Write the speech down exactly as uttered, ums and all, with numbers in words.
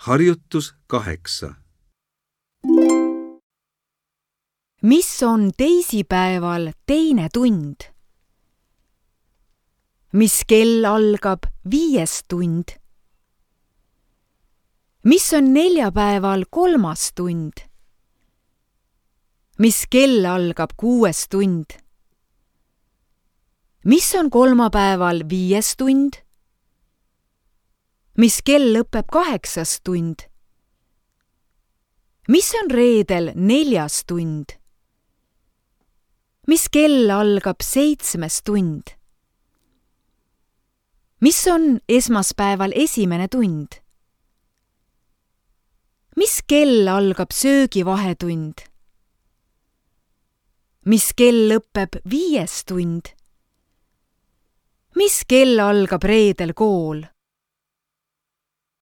Harjutus kaheksa. Mis on teisipäeval teine tund? Mis kell algab viies tund? Mis on neljapäeval kolmas tund? Mis kell algab kuues tund? Mis on kolmapäeval viies tund? Mis kell lõpeb kaheksas tund? Mis on reedel neljas tund? Mis kell algab seitsmes tund? Mis on esmaspäeval esimene tund? Mis kell algab söögivahetund? Mis kell lõpeb viies tund? Mis kell algab reedel kool?